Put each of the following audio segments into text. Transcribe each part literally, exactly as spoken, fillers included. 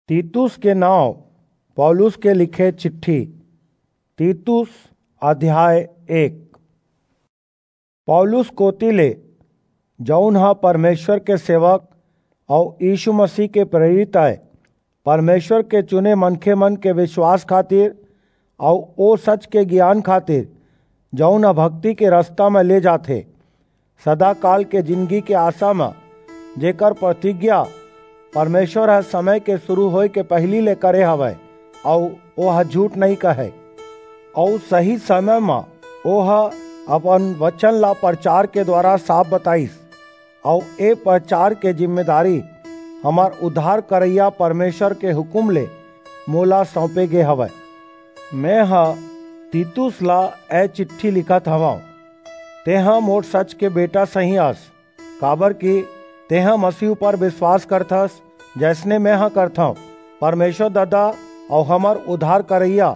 तीतुस के नांव पौलुस के लिखे चिट्ठी। तीतुस अध्याय एक। पौलुस कोति ले, जऊन ह परमेसर के सेवक अऊ यीसू मसीह के प्रेरित अय, परमेसर के चुने मनखेमन के बिसवास खातिर अऊ ओ सच के गियान खातिर, जऊन ह भक्ति के रसता म ले जाथे, सदाकाल के जिनगी के आसा म, जेकर परतिज्ञा परमेसर ह समय के सुरू होय के पहिली ले करे हवय, अऊ ओह झूठ नइं कहय। अऊ सही समय म ओह अपन बचन ला परचार के दुवारा साफ बताईस, अऊ ए परचार के जिम्मेदारी हमर उद्धार करइया परमेसर के हुकूम ले मोला सऊंपे गे हवय। मेंह तीतुस ला ए चिट्ठी लिखत हवंव। तेंह मोर सच के बेटा सहीं अस, काबरकि तेंह मसीह ऊपर बिसवास करथस, जइसने मेंह करथंव। परमेसर ददा अऊ हमर उद्धार करइया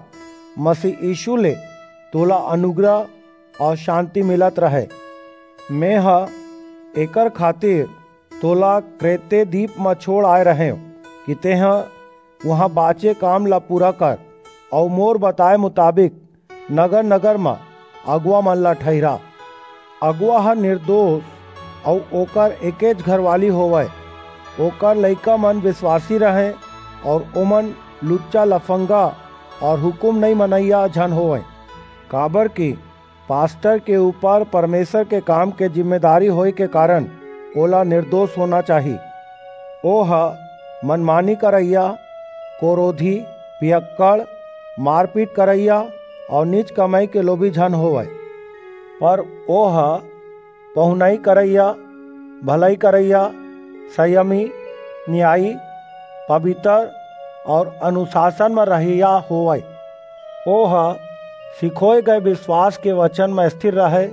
मसीह यीसू ले तोला अनुग्रह अऊ सांति मिलत रहय। मेंह एकर खातिर तोला क्रेते दीप म छोंड़ आय रहेंव कि तेंह उहां बांचे काम ला पूरा कर अऊ मोर बताय मुताबिक नगर-नगर म अगुवामन ला ठहिरा। अगुवा ह निरदोस अऊ ओकर एकेच घरवाली होवय, ओकर लइकामन बिसवासी रहंय अऊ ओमन लुच्चा-लफंगा अऊ हुकूम नइं मनइया झन होवंय, काबरकि पास्टर के ऊपर परमेसर के काम के जिम्मेदारी होय के कारन ओला निरदोस होना चाही। ओह मनमानी करइया, कोरोधी, पियक्कड़, मारपीट करइया अऊ नीच कमई के लोभी झन होवय, पर ओह पहुनई करइया, भलई करइया, संयमी, नियायी, पबितर अऊ अनुसासन म रहइया होवय। ओह सिखोय गय बिसवास के बचन म स्थिर रहय,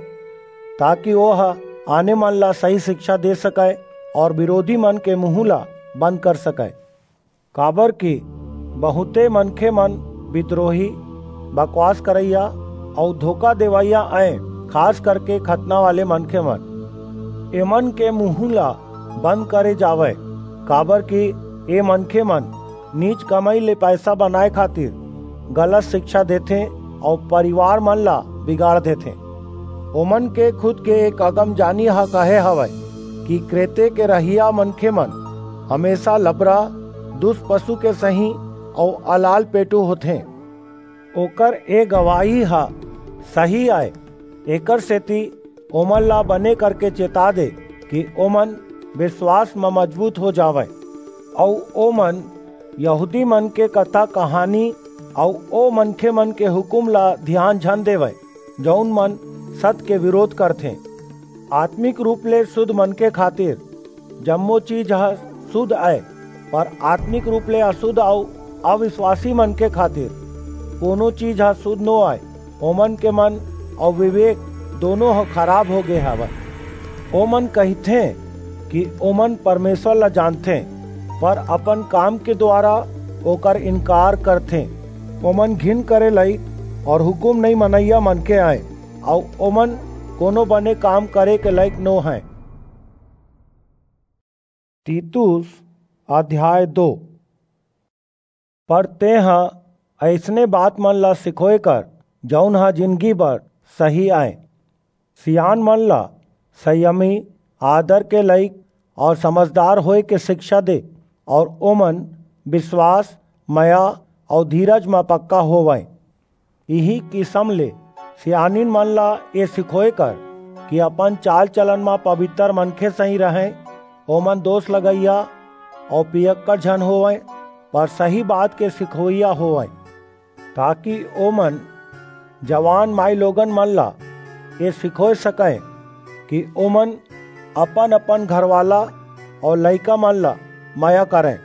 ताकि ओह आने मन ला सही सिकछा दे सकय अऊ बिरोधी मन के मुहूं ला बंद कर सकय। काबरकि बहुंते मनखेमन बिदरोही, बकवास करइया अऊ धोखा देवइया अंय, खास करके खतना वाले मनखेमन। एमन के मुहूं ला बंद करे जावय, काबरकि ए मनखेमन नीच कमई ले पईसा बनाय खातिर गलत सिकछा देथें अऊ परिवारमन ला बिगाड़ देथें। ओमन के खुद के एक अगमजानी ह कहे हवय कि क्रेते के रहइया मनखेमन हमेसा लबरा, दुस पसु के सहीं अऊ अलाल पेटू होथें। ओकर ए गवाही ह सही अय, एकरसेति ओमन ला बने करके चेता दे कि ओमन बिसवास म मजबूत हो जावंय, अऊ ओमन यहूदीमन के कथा-कहानी अऊ ओ मनखेमन के हुकूम ला धियान झन देवंय, जऊन मन सत के बिरोध करथें। आतमिक रूप ले सुध मनखे खातिर जम्मो चीज ह सुध अय, पर आतमिक रूप ले असुध अऊ अबिसवासी मनखे खातिर कोनो चीज ह सुध नो अय। ओमन के मन अऊ बिबेक दूनों ह खराब हो गे हवय। ओमन कहिथें कि ओमन परमेसर ला जानथें, पर अपन काम के दुवारा ओकर इनकार करथें। ओमन घिन करे लइक अऊ हुकूम नइं मनइया मनखे अंय, अऊ ओमन कोनो बने काम करे के लइक नो हंय। तीतुस अध्याय दो। पर तेंह अइसने बातमन ला सिखोय कर, जऊन ह जिनगी भर सही अंय। सियानमन ला संयमी, आदर के लइक अऊ समझदार होय के सिकछा दे, अऊ ओमन बिसवास, मया अऊ धीरज म पक्का होवंय। इही किसम ले सियानिन मन ला ए सिखोय कर कि अपन चाल-चलन म पबितर मनखे सहीं रहंय, ओमन दोस लगइया अऊ पियक्कड़ झन होवंय, पर सही बात के सिखोइया होवंय, ताकि ओमन जवान माईलोगन मन ला ए सिखोय सकंय कि ओमन अपन-अपन घरवाला अऊ लइका मन ला मया करंय।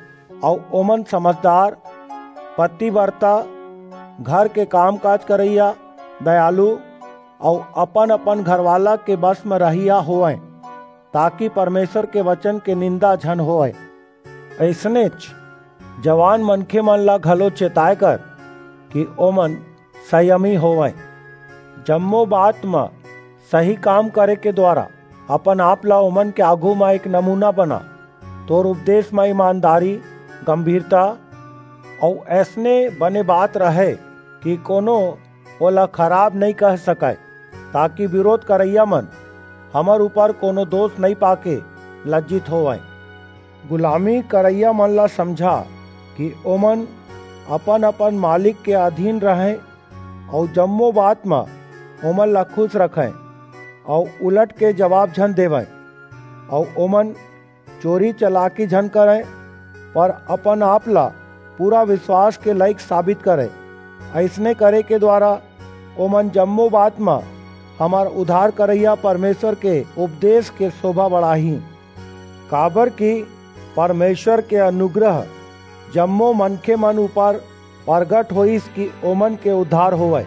अऊ ओमन समझदार, पतिबरता, घर के काम-काज करइया, दयालु अऊ अपन-अपन घरवाला के बस म रहइया होवंय, ताकि परमेसर के बचन के निंदा झन होवय। अइसनेच जवान मनखेमन ला घलो चेताय कर कि ओमन संयमी होवंय। जम्मो बात म सही काम करे के दुवारा अपन-आप ला ओमन के आघू म एक नमूना बना। तोर उपदेस म ईमानदारी, गंभीरता अऊ अइसने बने बात रहय कि कोनो ओला खराब नइं कह सकय, ताकि बिरोध करइया मन हमर ऊपर कोनो दोस नइं पाके लज्जित होवंय। गुलामी करइया मन ला समझा कि ओमन अपन-अपन मालिक के अधीन रहंय, अऊ जम्मो बात म ओमन ला खुस रखंय, अऊ उलट के जबाब झन देवंय, अऊ ओमन चोरी चलाकी झन करंय, पर अपन-आप ला पूरा बिसवास के लइक साबित करंय। अइसने करे के दुवारा ओमन जम्मो बात म हमर उद्धार करइया परमेसर के उपदेस के सोभा बढ़ाहीं, काबरकि परमेसर के अनुग्रह जम्मो मनखेमन ऊपर परगट होईस कि ओमन के उद्धार होवय।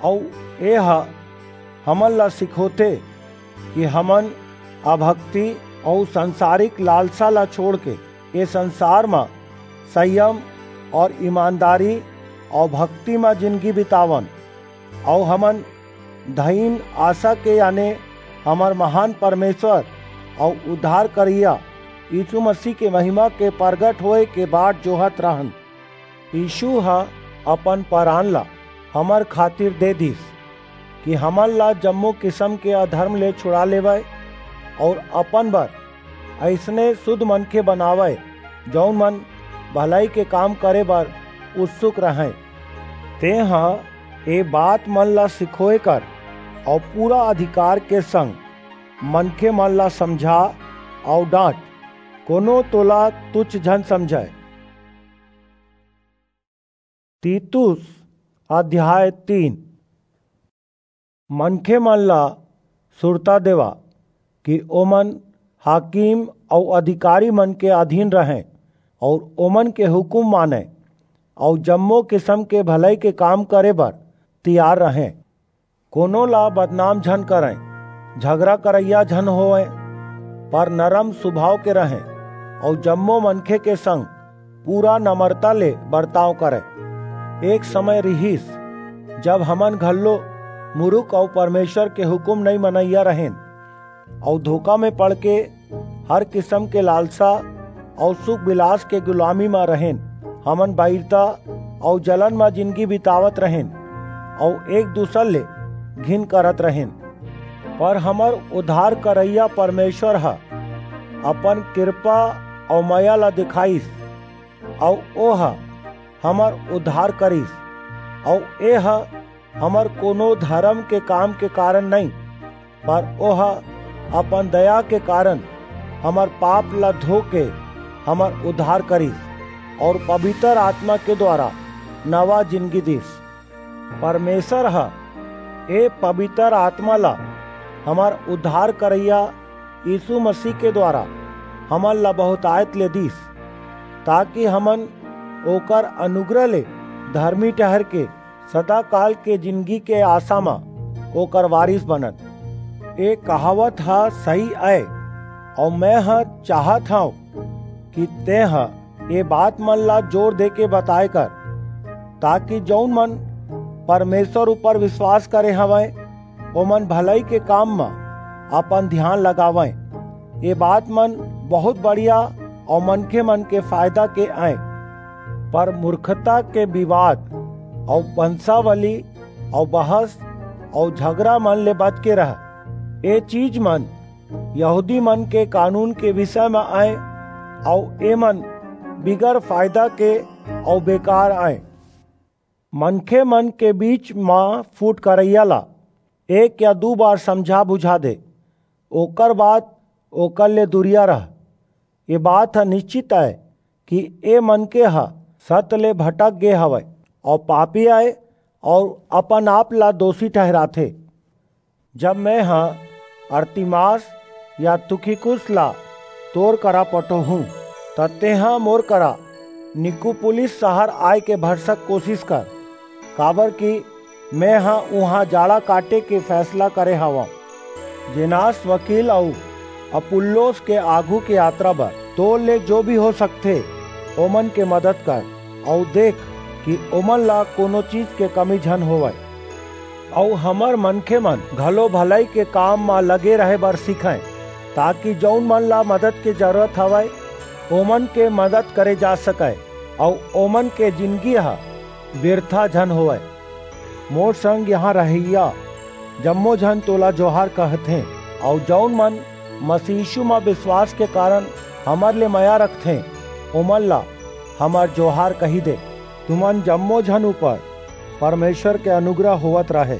अऊ एह हमन ला सिखोथे कि हमन अभक्ति अऊ संसारिक लालसा ला छोंड़के ए संसार म संयम अऊ ईमानदारी अऊ भक्ति म जिनगी बितावन, अऊ हमन धइन आसा के, याने हमर महान परमेसर अऊ उद्धार करइया यीसू मसीह के महिमा के परगट होय के बाट जोहत रहन। यीसू ह अपन परान ला हमर खातिर दे दीस कि हमन ला जम्मो किसम के अधरम ले छुड़ा लेवय अऊ अपन बर अइसने सुध मनखे बनावय, जऊन मन भलई के काम करे बर उत्सुक रहंय। तेंह ए बात मन ला सिखोय कर अऊ पूरा अधिकार के संग मनखेमन ला समझा अऊ डांट। कोनो तोला तुच्छ झन समझय। तीतुस अध्याय तीन। मनखेमन ला सुरता देवा कि ओमन हाकिम अऊ अधिकारीमन के अधीन रहंय अऊ ओमन के हुकूम मानंय अऊ जम्मो किसम के भलई के काम करे बर तियार रहंय। कोनो ला बदनाम झन करंय, झगरा करइया झन होवंय, पर नरम सुभाव के रहंय अऊ जम्मो मनखे के संग पूरा नमरता ले बरताव करंय। एक समय रिहिस, जब हमन घल्लो मुरुख अऊ परमेसर के हुकूम नइं मनइया रहेन, अऊ धोखा म पड़के हर किसम के लालसा अऊ सुख बिलास के गुलामी म रहेन। हमन बईरता अऊ जलन म जिनगी बितावत रहेन अऊ एक-दूसर ले घिन करत रहेन। पर हमर उद्धार करइया परमेसर ह अपन किरपा अऊ मया ला देखाईस, अऊ ओह हमर उद्धार करिस, अऊ एह हमर कोनो धरम के काम के कारन नइं, पर ओह अपन दया के कारन हमर पाप ला धो के हमर उद्धार करिस, अऊ पबितर आतमा के दुवारा नवा जिनगी दीस। परमेसर ह ए पबितर आतमा ला हमर उद्धार करइया यीसू मसीह के दुवारा हमन ला बहुतायत ले दीस, ताकि हमन ओकर अनुग्रह ले धरमी ठहिर के सदाकाल के जिनगी के आसा म ओकर वारिस बनन। ए कहावत ह सही अय, अऊ मेंह चाहत हंव कि तेंह ए बातमन ला जोर देके बताय कर, ताकि जऊन मन परमेसर ऊपर बिसवास करे हवंय, ओमन भलई के काम म अपन धियान लगावंय। ए बातमन बहुंत बढ़िया अऊ मनखेमन के फायदा के अंय, पर मूरखता के बिवाद अऊ बंसावली अऊ बहस अऊ झगरामन ले बच के रह। ए चीजमन यहूदीमन के कानून के बिसय म अंय, अऊ एमन बिगर फायदा के अऊ बेकार अंय। मनखेमन के बीच म फूट करइया ला एक या दू बार समझा-बुझा दे, ओकर बाद ओकर ले दूरिया रह। ए बात ह निस्चित अय कि ए मनखे ह सत ले भटक गे हवय अऊ पापी अय अऊ अपन-आप ला दोसी ठहिराथे। जब मेंह अरतिमास या तुखिकुस ला तोर करा पठोहूं, त तेंह मोर करा निकुपुलिस सहर आय के भरसक कोसिस कर, काबरकि मेंह उहां जाड़ा काटे के फैसला करे हवंव। जेनास वकील अऊ अपुल्लोस के आघू के यातरा बर तोर ले जो भी हो सकथे, ओमन के मदद कर, अऊ देख कि ओमन ला कोनो चीज के कमी झन होवय। अऊ हमर मनखेमन घलो भलई के काम म लगे रहे बर सिखंय, ताकि जऊन मन ला मदद के जरूरत हवय, ओमन के मदद करे जा सकय। अऊ ओमन के जिनगी ह बिरथा झन होवय। मोर संग इहां रहइया जम्मो झन तोला जोहार कहथें, अऊ जऊन मन मसीह यीशु म बिसवास के कारन हमर ले मया रखथें, ओमन ला हमर जोहार कहि दे। तुमन जम्मो झन ऊपर परमेसर के अनुग्रह होवत रहे।